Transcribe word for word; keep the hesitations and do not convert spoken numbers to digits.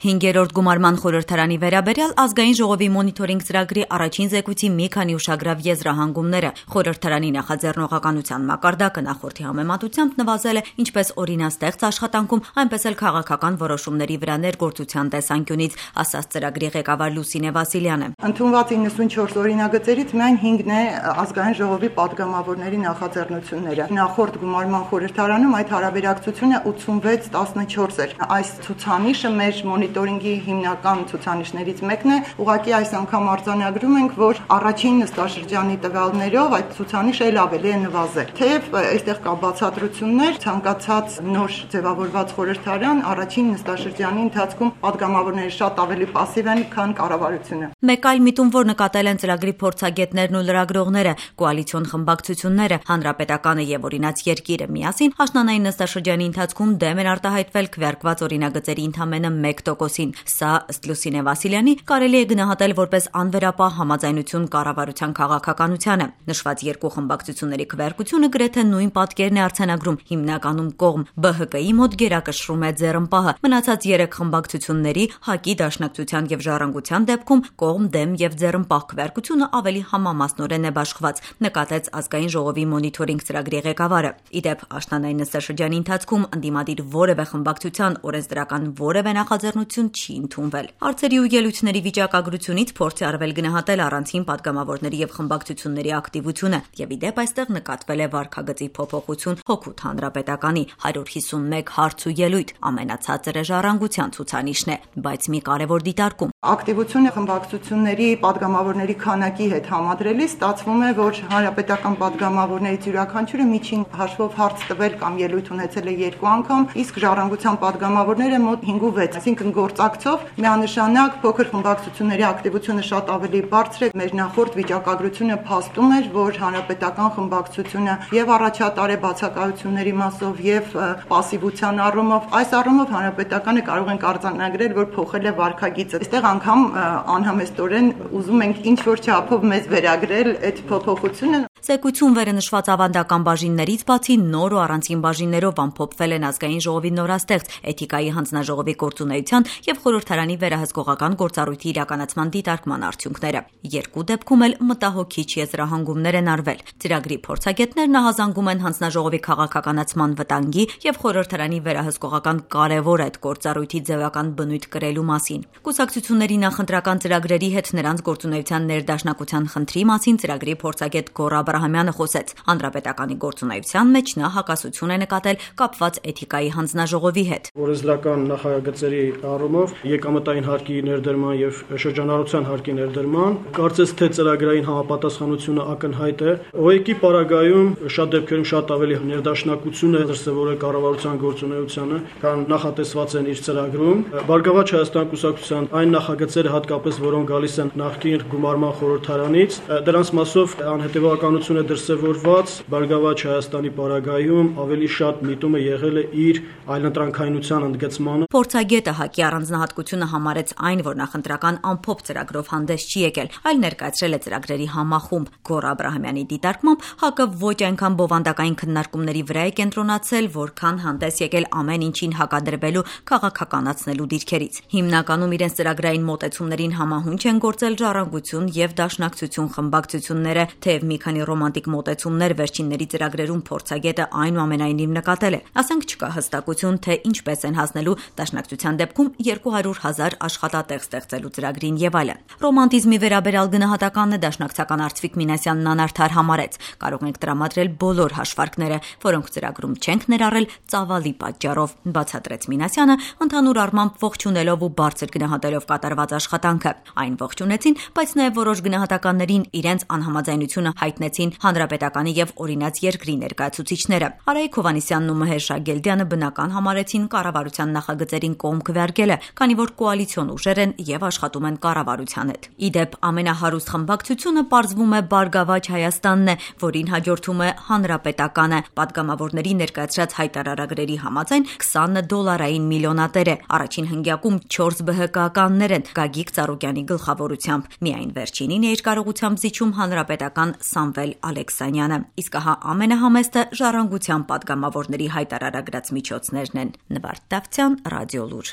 Հինգերորդ գումարման խորհրդարանի վերաբերյալ ազգային ժողովի մոնիթորինգ ծրագրի առաջին զեկույցի մի քանի ուշագրավ եզրահանգումները խորհրդարանի նախաձեռնողականության մակարդակը նախորդի համեմատությամբ նվազել է ինչպես օրինաստեղծ աշխատանքում, այնպես էլ քաղաքական որոշումների վրա ներգործության տեսանկյունից, ասաց ծրագրի ղեկավար Լուսինե Վասիլյանը։ Ընդունված իննսունչորս օրինագծերից միայն հինգն է ազգային ժողովի պատգամավորների նախաձեռնությունները։ Նախորդ գումարման խորհրդարանում այդ հարաբերակցությունը ութսունվեց տասնչորս էր։ Այս ցուցանիշը մեր մոնիտորինգի հիմնական ցուցանիշներից մեկն է, ուղղակի այս անգամ արձանագրում ենք, որ առաջին նստաշրջանի տվյալներով այդ ցուցանիշը էլ ավելի է նվազել։ Թեև այստեղ կա բացատրություններ, ցանկացած նոր ձևավորված խորհրդարան առաջին նստաշրջանի ընթացքում պատգամավորները շատ ավելի պասիվ են, քան կառավարությունը։ Մեկ այլ միտում, որ նկատել են ծրագրի փորձագետներն ու լրագրողները, կոալիցիոն խմբակցությունները, Հանրապետականը եւ Օրինաց երկիրը միասին աշնանային նստաշրջանի ընթացքում դեմ են արտահայտվել քվեարկված օրինագծերի ընդամենը մեկ տոկոսին։ Սա, ըստ Լուսինե Վասիլյանի, կարելի է գնահատել որպես անվերապահ համաձայնություն կառավարության քաղաքականությանը։ Նշված երկու խմբակցությունների քվեարկությունը գրեթե նույն պատկերն է արձանագրում, հիմնականում կողմ Բ Հ Կ-ի մոտ գերակշռում է ձեռնպահը։ Մնացած երեք խմբակցությունների ՀԱԿ-ի, Դաշնակցության եւ Ժառանգության դեպքում կողմ դեմ եւ ձեռնպահ քվեարկությունը ավելի համամասնորեն է բաշխված, նկատեց ազգային ժողովի մոնիթորինգ ծրագրի ղեկավարը։ Իդեպ աշնանային նստաշրջանի ընթացքում ընդդիմադիր որևէ խմբակցության օրենսդրական որևէ նախաձեռնություն չի ընդունվել։ Հարցերի ու ելույթների վիճակագրությունից փորձ է արվել գնահատել առանցին պատգամավորների եւ խմբակցությունների ակտիվությունը, եւ իդեպ այստեղ նկատվել է վարքագծի փոփոխություն հօգուտ Հանրապետականի հարյուր հիսունմեկ հարց ու ելույթ, ամենացածրը Ժառանգության ցուցանիշն է, բայց մի կարևոր դիտարկում։ Ակտիվությունը խմբակցությունների պատգամավորների քանակի հետ համադրելիս ստացվում է, որ հանրապետական պատգամավորներից յուրաքանչյուրը միջին հաշվով հարց տվել կամ ելույթ ունեցել է երկու անգամ, իսկ Ժառանգության պատգամավորները մոտ հինգ ու վեց, այսինքն գործակցով միանշանակ փոքր խմբակցությունների ակտիվությունը շատ ավելի բարձր է։ Մեր նախորդ վիճակագրությունը փաստում էր, որ հանրապետական խմբակցությունը եւ առաջատար է բացակայությունների մասով եւ պասիվության առումով, այս առումով հանրապետականը կարող ենք արձանագրել, որ փոխել է վարքագիծը։ Այստեղ անգամ անհամեստորեն ուզում ենք ինչ որ չափով մեզ վերագրել այդ փոփոխությունը։ Զեկույցում վերնշված ավանդական բաժիններից բացի նոր ու առանցին բաժիններով ամփոփվել են ազգային ժողովի նորաստեղծ էթիկայի հանձնաժողովի գործունեության եւ խորհրդարանի վերահսկողական գործառույթի իրականացման դիտարկման արդյունքները։ Երկու դեպքում էլ մտահոգիչ եզրահանգումներ են արվել։ Ծրագրի փորձագետներն ահազանգում են հանձնաժողովի քաղաքականացման վտանգի եւ խորհրդարանի վերահսկողական կարեւոր այդ գործառույթի ձևական բնույթ կրելու մասին։ Կուսակցությունների նախընտրական ծրագրերի հետ նրանց գործունեության ներդաշնակության խնդրի մասին ծրագրի փորձագետ Գոռ Աբրահամյանը խոսեց։ Հանրապետականի գործունեության մեջ նա հակասություն է նկատել կապված էթիկայի հանձնաժողովի հետ։ Օրենսդրական նախագծերի առումով եկամտային հարկի ներդրման եւ շրջանառության հարկի ներդրման կարծես թե ծրագրային համապատասխանությունը ակնհայտ է։ օ է կի պարագայում շատ դեպքերում շատ ավելի ներդաշնակություն է դրսևորել կառավարության գործունեությանը, քան նախատեսված են իր ծրագրում։ Բարգավաճ Հայաստան կուսակցության այն նախագծերը հատկապես, որոնք գալիս են նախկին գումարման խորհրդարանից, դրանց մասով անհետևականություն է դրսևորված։ Բարգավաճ Հայաստանի պարագայում ավելի շատ միտումը եղել է իր այլընտրանքայնության ընդգծմանը։ Փորձագետը ՀԱԿ-ի առանձնահատկությունը համարեց այն, որ նախընտրական ամփոփ ծրագրով հանդես չի եկել, այլ ներկայացրել է ծրագրերի համախումբ։ Գոռ Աբրահամյանի դիտարկմամբ ՀԱԿ-ը ոչ այնքան բովանդակային քննարկումների վրա է կենտրոնացել, որքան հանդես եկել ամեն ինչին հակադրվելու քաղաքականացնելու դիրքերից։ Հիմնականում իրենց ծրագրային մոտեցումներին համահունչ են գործել Ժառանգություն եւ Դաշնակցություն խմբակցությունները, թեև մի քանի ռոմանտիկ մոտեցումներ վերջինների ծրագրերում փորձագետը այնուամենայնիվ նկատել է։ Ասենք չկա հստակություն, թե ինչպես են հասնելու Դաշնակցության դեպքում երկու հարյուր հազար աշխատատեղ ստեղծելու ծրագրին եւ այլն։ Ռոմանտիզմի վերաբերյալ գնահատականն դաշնակցական Արծվիկ Մինասյանն անարդար համարեց։ Կարող ենք տրամադրել բոլոր հաշվարկները, որոնք ծրագրում չենք ներառել ծավալի պատճառով, բացատրեց Մինասյանը, ընդհանուր առմամբ ողջունելով ու բարձր գնահատելով կատարված աշխատանքը։ Այն ողջունեցին, բայց նաեւ որոշ գնահատականներին իրենց անհամաձայնությունը հայտնեցին Հանրապետականի եւ Օրինաց երկրի ներկայացուցիչները։ Արայիկ Հովհաննիսյանն ու Մհեր Շագելդյանը բնական համարեցին կառավարության նախագծերին կողմ քվեարկելը, քանի որ կոալիցիոն ուժեր են եւ աշխատում են կառավարության հետ։ Իդեպ ամենահարուստ խմբակցությունը պարզվում է Բարգավաճ Հայաստանն է, որին հաջորդում է Հանրապետականը։ Պատգամավորների ներկայացրած հայտարարագրերի համաձայն քսան դոլարային միլիոնատեր է։ Առաջին հնգյակում չորս Բ Հ Կ-ականներ են Գագիկ Ծառուկյանի գլխավորությամբ։ Միայն վերջինին է իր կարողությամբ զիջում հանրապետական Սամվել Ալեքսանյանը։ Իսկ ահա ամենահամեստը Ժառանգության պատգամավորների հայտարարագրած միջոցներն են։ Նվարդ Դավթյան, Ռադիոլուր։